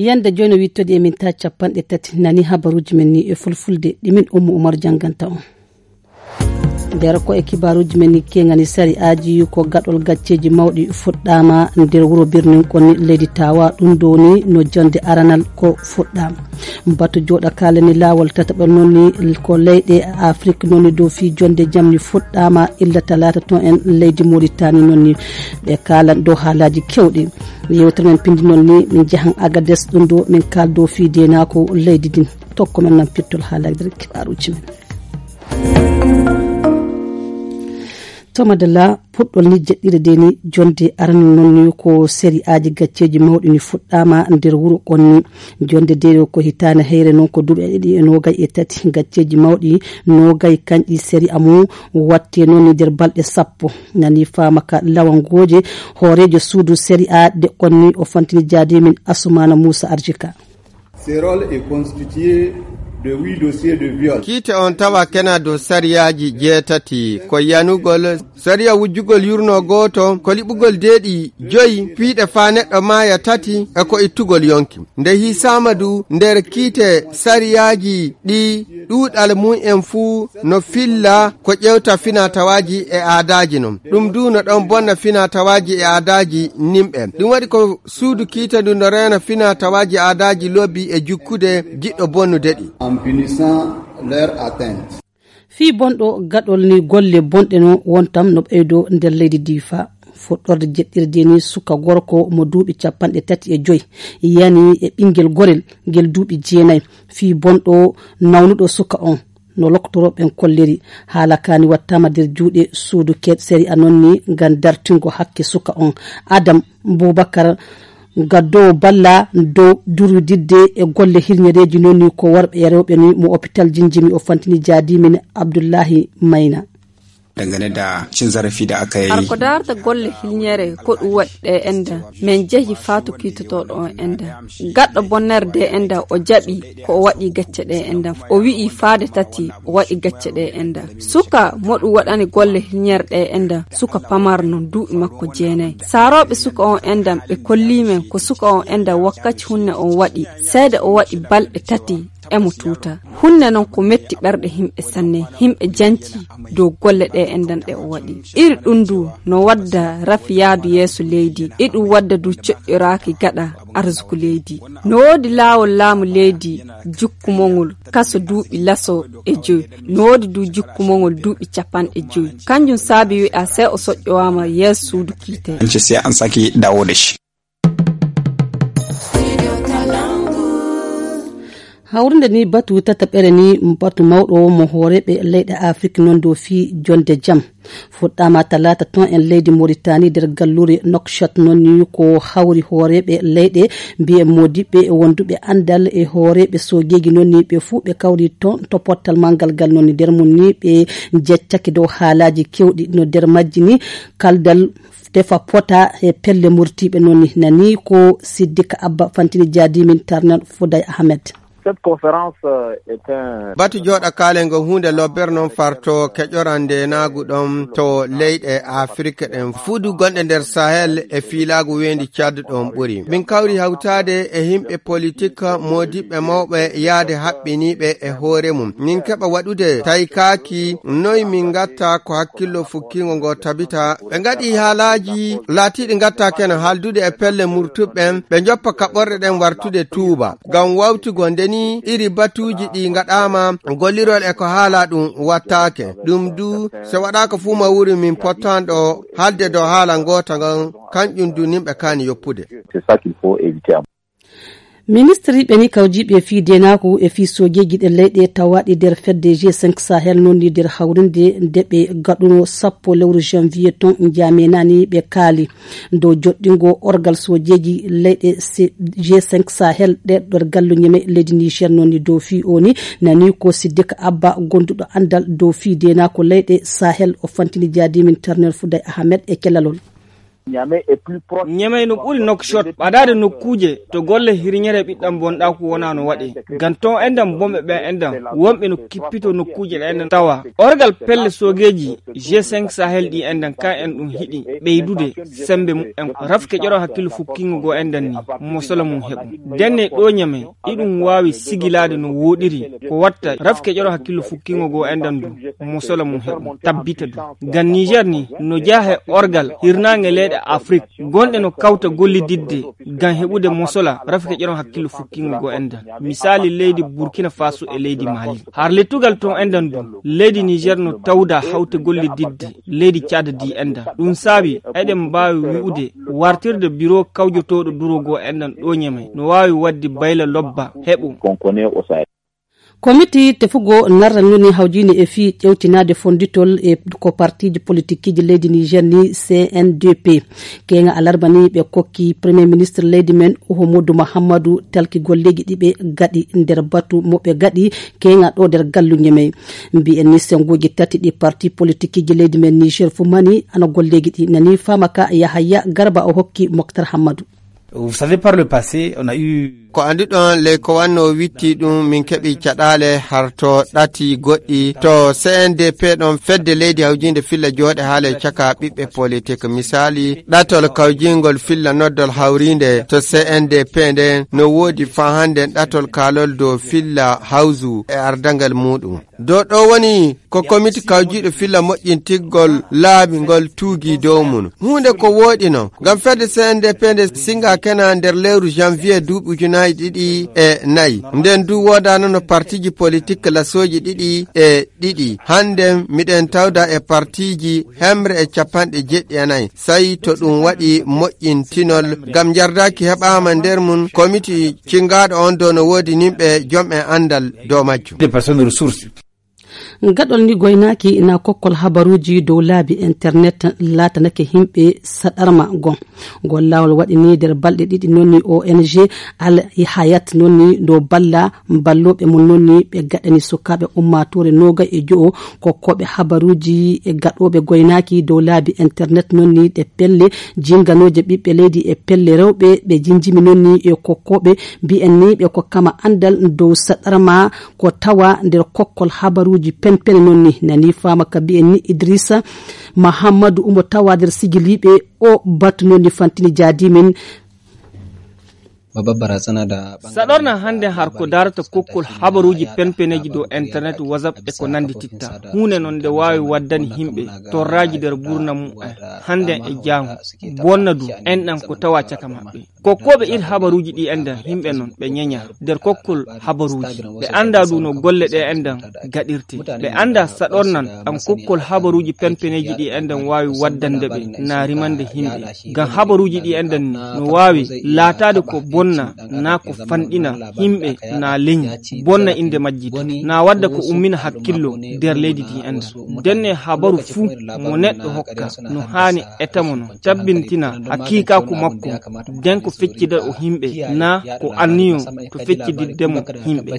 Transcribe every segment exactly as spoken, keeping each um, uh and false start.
Yande jooni wittoɗi e min ta capanɗe tati nani habaruuji men ni e fulfulde ɗi min Ummu Umar jannganta on. Nder ko e kibaaruuji men ni kengani sari'aaji ko gaɗol gacceeji mawɗi fuɗɗaama nder wuro birnin konni leydi Tawa, ɗum ɗo ni no jonde aranal ko fuɗɗaama. Batu jooɗa kaalani laawol tataɓal noon ni ko leyɗe Afrik noon ni dow fii jonde jam ni fuɗɗaama illa talaata toon en leydi Moritani noon ni ɓe kaalan dow haalaaji kewɗi. Yewtere men pindi noon ni min njahan Agades ɗum ɗo min kaaldo fii deenaako leydi din. Tokko men nan pirtol haalaaji nder kibaaruuji men. To madalla, puɗɗol ni jeɗɗire de ni jonde aranal noon ni ko sari'aaji gacceeji mawɗi ni fuɗɗaama nder wuro konni. Jonde de ko hitaande heyre noon ko duuɓi ɗiɗi e noogay e tati gacceeji mawɗi noogay kanƴi sari'a mum watte noon ni nder balɗe sappo. Nani faama ka lawangooje hooreejo suudu sari'a de konni o fantini jaadi min Asumana Muusa Arjika. Ce rôle est constitué de huit dossiers de viol. Kiite on tawa kena dow sariyaaji jeetati, ko yanugol sariya wujjugol yurno gooto, ko liɓugol deeɗi joyi, piiɗe faa neɗɗo maaya tati, e ko ittugol yonki. Nde hiisaama du nder kiite sariyaaji ɗi ɗuuɗal mum en fuu no filla ko ƴewta finaa tawaaji e aadaaji non. Ɗum du no ɗon bonna finaa tawaaji e aadaaji nimɓe. Ɗum waɗi ko suudu kiita ndu no reena finaa tawaaji aadaaji lobbi e jukkude jiɗɗo bonnude ɗi. En punissant leur atteinte. Fii bonɗo gaɗol ni golle bonɗe no wontam no ɓeydo nder leydi Diifa. Fuɗɗorde jeɗɗirde ni suka gorko mo duuɓi capanɗe tati e joy yani e ɓingel gorel ngel duuɓi jeenay. Fii bonɗo nawnuɗo suka on no loktorooɓe ɓen kolliri. Haala kaani wattaama nder juuɗe suudu keɓ sari'a non ni ngam dartingo hakke suka on. Adam Bubakar, gaddoowo balla dow durwididde e golle hirñereeji non ni ko worɓe e rewɓe ni mo hôpital Jinjimi o fantini jaadimin Abdullahi Mayna. Dangane da cin zarafi da aka yi. Har ko darta golle hilñere ko ɗum waɗi ɗe enda. Min jehi faatu kiitotoɗo on enda. Gaɗɗo bonner de enda o jaɓi ko o waɗi gacce ɗe enda. O wi'i faade tati o waɗi gacce ɗe enda. Suka mo ɗum waɗani golle hilñere ɗe enda. Suka pamar non duuɓi makko jeenay. Saarooɓe suka on enda ɓe kolli men ko suka on enda wakkaci hunne on waɗi. Seede o waɗi balɗe tati. Emo tuuta. Hunne non ko metti ɓerɗe himɓe sanne. Himɓe janci dow golle ɗe endan ɗe o waɗi. Iri ɗum du no wadda rafi yaadu yeeso leydi. Iɗum wadda du coƴƴoraaki gaɗa arsuku leydi. No woodi laawol laamu leydi jukkumongol kaso duuɓi laso e joy. No woodi du jukkumongol duuɓi capanɗe joy. Kanjum saabi wi'a sey o soƴƴowaama yeeso suudu kiite. An ce sai an sake dawo da shi. Hawrinde ni batu tataɓere ni batu mawɗo mo hooreeɓe leyɗe Afrik non dow fii jonde jam. Fuɗɗaama talaata ton en leydi Moritani nder gallure Nouakchott non ni ko hawri hooreeɓe leyɗe mbiye modiɓɓe e wonduɓe anndal e hooreeɓe soojeeji non ni ɓe fuu ɓe kawri ton to pottal manngal ngal non ni nder mum ni ɓe jeccake dow haalaaji kewɗi no nder majji ni kaldal tefa pota e pelle murtiiɓe non ni nani ko Siddika Abba fantini jaadimin Tarnan Fuday Ahmed. Cette conférence euh, est un Batu jooɗa kaalen ngo huunde lobbere non farto keƴoran ndeenaagu ɗon to leyɗe Afirka ɗen fuudu gonɗe nder Sahel e fiilaagu weendi Tchad ɗon ɓuri. Min kawri hawtaade e himɓe politik moodiɓɓe mawɓe yaade haɓɓiniiɓe e hoore mum. Min keɓa waɗude taykaaki noy min ngatta ko hakkillo fukkingo ngo tabita. Ɓe ngaɗi haalaaji laatiiɗi ngatta kena haaldude e pelle murtuɓe ɓen. Ɓe njoppa kaɓorɗe ɗen wartude tuuba. Ngam wawtugo nde ni iri batuuji ɗi ngaɗaama gollirol e ko haala ɗum wattaake. Ɗum du so waɗaaka fuu ma wuri min pottanɗo haalde dow haala ngoota ngan kanƴum du nimɓe kaani yoppude. C'est ça qu'il faut éviter. Ministriiɓe ni kawjiiɓe fii deenaaku e fii soojeeji ɗe leyɗe tawaaɗi nder fedde G cinq Sahel non ni nder hawrinde nde ɓe gaɗuno sappo lewru janvier ton njamenani ɓe kaali. Dow joɗɗingo orgal soojeeji leyɗe se- G cinq Sahel ɗe ɗo gallu ñeme leydi Niger non ni dow fii o ni nani ko Siddik Abba gonduɗo andal dow fii deenaako leyɗe Sahel o fantini jaadimin Tarner Fuday Ahmed e kelalol. Ñamey no ɓuri Nokshot ɓadaade nokkuuje to golle hirñere ɓiɗɗam bonɗaaku wonaa no waɗee. Ngam toon enɗam bonɓe ɓeen enɗam wonɓe no kippitoo nokkuuje ɗe enɗam tawa orgal pelle soogeeji G cinq Sahel ɗi enɗam kan en ɗum hiɗi ɓeydude semmbe mum en. Rafke ƴoro hakkillo fukkingo goo enɗam ni mosola mum heɓu. Ndenne ɗo Ñamey iɗum waawi sigilaade no wooɗiri ko watta rafke ƴoro hakkillo fukkingo goo enɗam du mosola mum heɓu tabbita du. Ngam Niger ni no jeyaa he orgal hirnaange leyɗe Afrik gonɗe no kawta gollididde ngam heɓude mosola rafke ƴoron hakkillo fukkingo goo enɗam. Misaali leydi Burkina Faso e leydi Mali. Har lettugal toon enɗam du leydi Niger no tawda hawte gollididde leydi Caad di enɗam. Ɗum saabi eɗen mbaawi wi'ude wartirde biro kawjotooɗo duro goo enɗam ɗo Ñamey no waawi waɗde bayla lobba heɓu. Komiti tefugoo narra noni hawjini e fii ƴewtinaade fonnditol e ko partiiji politikiiji leydi Niger ni C N D P. Keeŋa alarba ni ɓe kokki Premier Ministre leydi men Uhumudu Muhammadu talki golleeji ɗi ɓe gaɗi nder batu mo ɓe gaɗi keeŋa ɗo nder gallu Ñamey. Mbiyen ni sennguuji tati ɗi parti politikiiji leydi men Niger fu mani ana golleeji ɗi nani faama ka Yahaya Garba o hokki Moktar Hammadu. Vous savez, par le passé, on a eu Ko annduɗon ley ko wannoo witti ɗum min keɓi caɗaale harto ɗati goɗɗi to C N D P ɗon fedde leydi hawjiinde filla jooɗe haale caka ɓiɓɓe politik. Misaali ɗatol kawjingol filla noddol hawriinde to C N D P nden no woodi faa hannden ɗatol kaalol dow filla hawzu e ardangal muuɗum. Dow ɗo woni ko komiti kawjiiɗo filla moƴƴintiggol laabi ngol tuugi dow mum. Huunde ko wooɗi non, ngam fedde C N D P nde singa kena nder lewru janvier duuɓi ujunaaji ɗiɗi e nayi. Nden du woodaano no partiiji politik lasooji ɗiɗi e ɗiɗi. Hannde miɗen tawda e partiiji hemre e capanɗe jeɗɗi e nayi. Sey to ɗum waɗi moƴƴintinol, ngam njardaaki heɓaama nder mum komiti cingaaɗo on dow no woodi nimɓe jom'en anndal dow majjum. Des personnes ressources. Gaɗol ni goynaaki na kokkol habaruuji dow laabi internet laatanake yimɓe saɗarma gon. Ngol laawol waɗi ni nder balɗe ɗiɗi noon ni O N G Al Hayat noon ni ɗo balla ballooɓe mum noon ni ɓe gaɗani sukaaɓe ummaatoore noogay e jo'o kokkooɓe habaruuji e gaɗooɓe goynaaki dow laabi internet noon ni ɗe pelle jinganooje ɓiɓɓe leydi e pelle rewɓe ɓe jinjimi noon ni e kokkooɓe mbiyen ni ɓe kokkama anndal dow saɗarma ko tawa nder kokkol habaruuji penpene noon ni nani faama ka mbiyen ni Idrissa Mahammadu omo tawa nder sigiliiɓe o batu noon ni fantini jaadimin. Saɗorna hannde har ko darata kokkol habaruuji penpeneeji dow internet, WhatsApp e ko nanndititta. Huunde noon nde waawi waddani yimɓe torraaji nder gurdam mum en hannde e jaango. Bonna du enɗam ko tawa caka maɓɓe. Kokkooɓe ir habaruuji ɗi enɗam yimɓe noon ɓe ñeña nder kokkol habaruuji. Ɓe annda du no golle ɗe enɗam gaɗirte. Ɓe annda saɗornan ɗam kokkol habaruuji penpeneeji ɗi enɗam waawi waddande ɓe na rimande yimɓe. Ngam habaruuji ɗi enɗam ni no waawi laataade ko bonna na ko fanɗina yimɓe na leñi bonna innde majji du. Na wadda ko ummina hakkillo nder leydi ndi enɗam. Ndenne habaru fuu mo neɗɗo hokka no haani etamo no tabbintina hakiikaaku makko nden ko feccida o yimɓe na ko anniyo to feccididde mo yimɓe.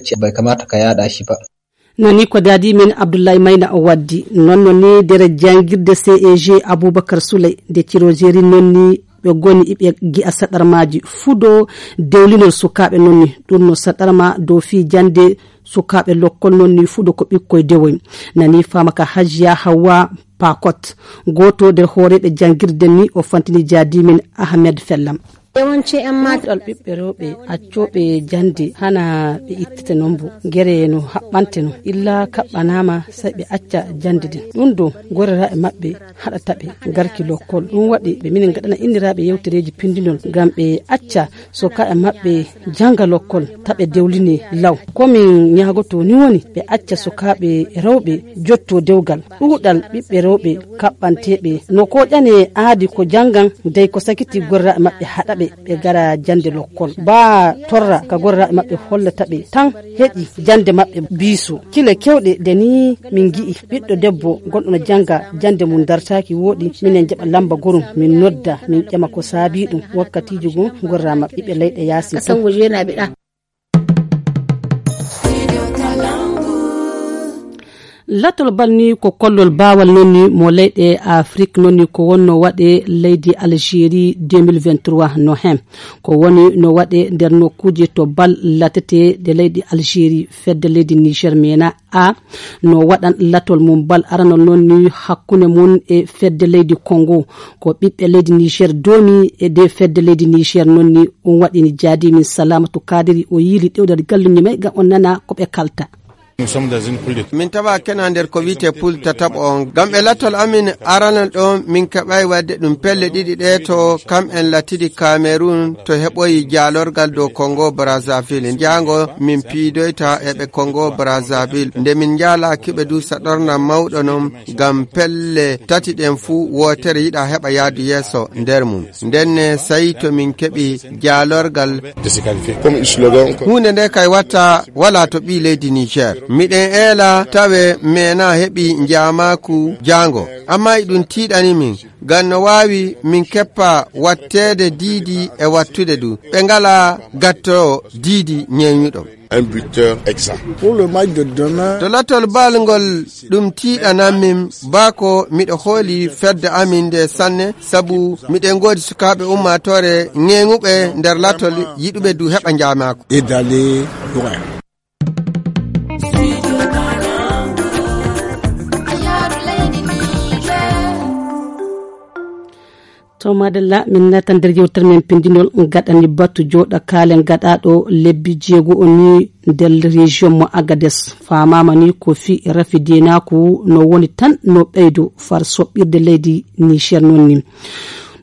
Nani ko daadi men Abdullahi Mayna o waddi noon no ni nder janngirde C E G Abubakar Suley nde cirojeri noon ni ɓe goni iɓe gi'a saɗarmaaji fudo dewlinol sukaaɓe noon ni ɗum no saɗarma dow fii jannde sukaaɓe lokkol noon ni fudo ko ɓikkoy dewoy. Nani faama ka Hajiya Hawwa Pakot gooto nder hooreeɓe janngirde ni o fantini jaadimin Ahmed Fellam. Yawanci yan mata ɗal ɓiɓɓe rewɓe accooɓe jannde hana ɓe ittete noon bo gere no haɓɓante no illa kaɓɓanaama sey ɓe acca jannde nden ɗum do goreraaɓe maɓɓe haɗata ɓe garki lokkol ɗum waɗi ɓe minen gaɗana inniraaɓe yewtereeji pindinol ngam ɓe acca sukaaɓe maɓɓe jannga lokkol taɓe dewline law. Ko min ñaagoto ni woni ɓe acca sukaaɓe rewɓe jotto dewgal ɗuuɗal ɓiɓɓe rewɓe kaɓɓanteeɓe no kooƴane aadi ko janngan dey ko sakiti gorraaɓe maɓɓe haɗa ɓe ɓe gara jannde lokkol baa torra ka gorraaɓe maɓɓe hollata ɓe tan heƴi jannde maɓɓe biiso kile kewɗe nde ni min ngi'i ɓiɗɗo debbo gonɗo no jannga jannde mum dartaaki wooɗi minen jaɓa lamba gorum min nodda min ƴama ko saabii ɗum wakkatiiji goo gorraa maɓɓe ɓiɓɓe leyɗe yaasi fof. Latol bal ni ko kollol baawal noon ni mo leyɗe Afrik noon ni ko wonno waɗe leydi Algérie deux mille vingt-trois no heen. Ko woni no waɗe nder nokkuuje to bal latete de leydi Algérie, fedde leydi Niger mena a no waɗan latol mum bal aranol noon ni hakkunde mum e fedde leydi Congo. Ko ɓiɓɓe leydi Niger doomi e de fedde leydi Niger noon ni ɗum waɗini jaadi min Salamatu Kadiri o yiili ɗewdal galluñi may ngam on nana ko ɓe kalta. Min tawa kena nder ko wiyte poule tataɓo on. Ngam e lattol amin aranal ɗo min keɓay wadde ɗum pelle ɗiɗi ɗe to kam en latidi Cameroun to heɓoyi jaalorgal dow Congo Brazzaville. Njaango min piidoyta e ɓe Congo Brazzaville. Nde min njaala kiɓe du saɗorna mawɗo non ngam pelle tati ɗen fuu wootere yiɗa heɓa yaadu yeeso nder mum. Ndenne sayi to min keɓi jaalorgal. Huunde nde kay watta wala to ɓii leydi Niger. Miɗen eela tawe mena heɓi njaamaaku jaango. Amma e ɗum tiiɗani min. Ngam no waawi min keppa watteede diidi e wattude du. Ɓe ngala gatto diidi ñeeñuɗo. Un buteur exact. Pour le match de demain. To lattol bal ngol ɗum tiiɗanan min baa ko miɗo hooli fedde amin nde sanne sabu miɗen ngoodi sukaaɓe ummaatoore ŋeeŋuɓe nder lattol yiɗuɓe du heɓa njaamaako. Et d'aller loin. To madalla min nata nder yewtere men pindinol gaɗani batu joɗa kalen gaɗaɗo lebbi jeego o ni nder région mo Agadez. Famama ni ko fi rafi denaku no woni tan no ɓeydo far soɓɓirde leydi Niger non ni.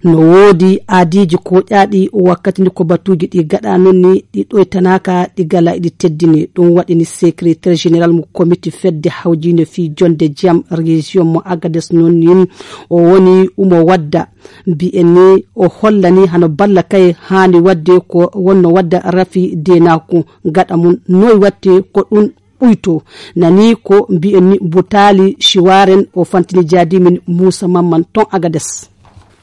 No woodi aadiiji koƴaaɗi wakkati ndi ko batuuji ɗi gaɗa non ni ɗi ɗoytanaaka ɗi gala ɗi teddini. Ɗum waɗini secrétaire général mo comité fedde hawjiinde fii jonde jam région mo Agadez non ni o woni umo wadda mbiyen ni o hollani hano balla kay haani wadde ko wonno wadda rafi denaku gaɗa mum noy watte ko ɗum ɓuyto. Nani ko mbiyen ni butaali siwaren o fantini jaadimin Muusa Mamman ton Agades.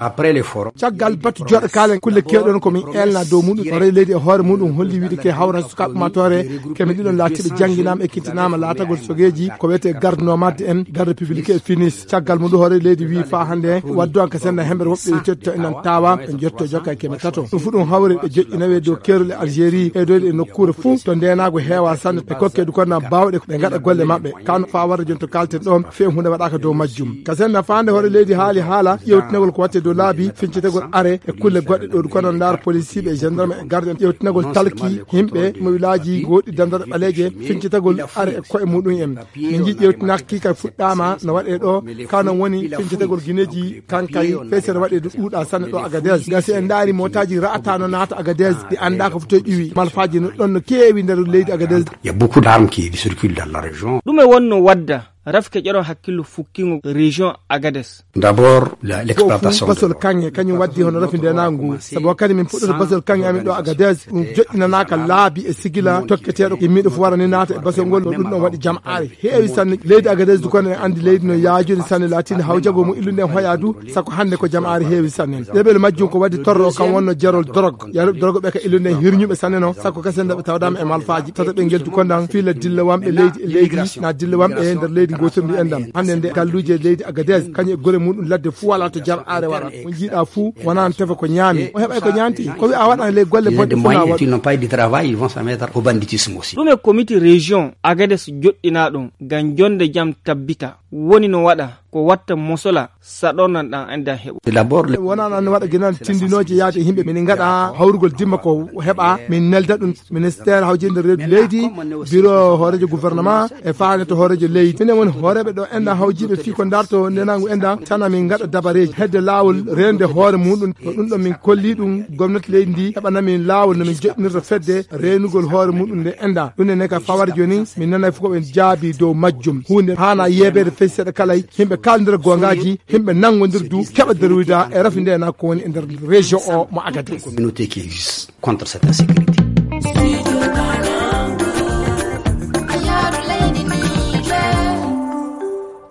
Après les forums. Caggal batu joɗa kalen kulle kewɗon ko min elna dow muɗum o rewi leydi e hoore muɗum holli wiide ke hawra sukaaɓe matoore keme ɗiɗon laatiɓe jannginaama ekkitinama laatagol sogeeji ko wiyete garde nomade en garde publique e finis. Caggal muɗum hoore leydi wi fa hannde waddu an ka senda hemɓere woɓɓe tedto enan tawa ɓe jotto jokka e keme tato ɗum fu ɗum hawre ɓe joƴƴinawe dow kerol e Algérie e doyde e nokkuure fuu to ndenago heewa sanne e kokkedu konna bawɗe ɓe gaɗa golle maɓɓe kano fa warde jon to kalten ɗon few hunde waɗaka dow majjum. Ka senda fande hoore leydi haali haala ƴewtinagol ko watte dow laabi fincitagol are e kulle goɗɗe ɗo kono ndar policiɓe e gendarme e garde en ƴewtinagol talki yimɓe mo wilaji goɗɗi dandare ɓaleeje fincitagol are e koye muɗum en. Min jiɗi ƴewtinaki kay fuɗɗama no waɗe ɗo kanon woni fincitagol guineji kankay fay sene waɗe ɗo ɗuuɗa sanne ɗo Agadez. Gasi en ndaari motaji ra'ata no naata Agadez ɗi annda ko fotoy ƴiwi malfaji no ɗon no keewi nder leydi Agadez. Il y a beaucoup d'armes qui circulent dans la région. Ɗume wonno wadda rafke ƴeɗon hakkillo fukkingo région Agadez? D'abord, la- l'exploitation de basol kanŋe kañum waddi hono rafi ndenagu ngu sabu wakkati min puɗɗata basol kanŋe amin ɗo Agadez ɗum joƴƴinanaka laabi e sigila tokketeɗo yimmiɗo fo warani naata e basol ngol no ɗum ɗon waɗi jam'are heewi sanne. Leydi Agadez du kono en andi leydi no yaajuni sanne laatinde hawjagol mum illude en hoya du sako hannde ko jam'are heewi sanne. Ɗeɓel majjum ko waddi torro o kam wonno jarol drog yaruɓe drogue ɓe ka illude en hirñuɓe sanne no sako kasen daɓe tawdama e malfaji tata ɓe geltu kondan fiila dilla wamɓe leydi e leydi na dilla wamɓe e nder leydi gotirndi endan hannde nde galluji e leydi Agadez kañum e gure muɗum ladde fuu wala to jam'are wara o jiiɗa fuu wona no tefa ko ñaami o heɓay ko ñaanti ko wi a waɗa ley golle bonɗe fuu na waɗu. Ils n'ont pas eu de travail, ils vont se mettre au banditisme aussi. Ɗum e comité région Agadez joɗɗinaɗum ngam jonde jam tabbita woni no waɗa ko watta mosola saɗornan ɗan enda heɓo. D'abord le- wonano ne waɗa guinal tindinoje yaade yimɓe min gaɗa hawrugol dimma ko heɓa min nelda ɗum ministère hawjinde reedu leydi bureau hoorejo gouvernement e faane to hoorejo leydi minen woni hooreɓe ɗo enɗan hawjiɓe fii ko darto ndenagu enɗan tana min gaɗa dabareji hedde lawol rende hoore muɗum ko ɗum ɗo min kolli ɗum gomnati leydi ndi heɓana min lawol no min joɗɗinirta fedde renugol hoore muɗum nde enɗan ɗum ne ka fawar joni min nanay fof ko ɓen jaabi dow majjum hunde hana yeebeede fey seeɗa kala yimɓe kaalndira goongaaji yimɓe nanngondir du keɓa darwida e rafi nde na ko woni e nder région o mo Agadez. Communauté qui existe contre cette insécurité.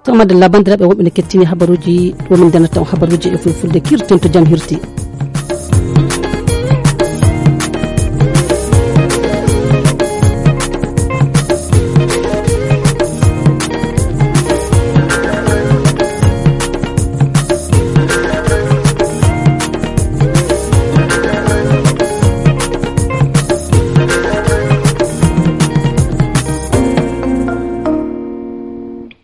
To madalla bandiraɓe woɓɓe ne kettini habaruji ɗo min ndenata on habaruji e fulfulde kirten to jam hirti.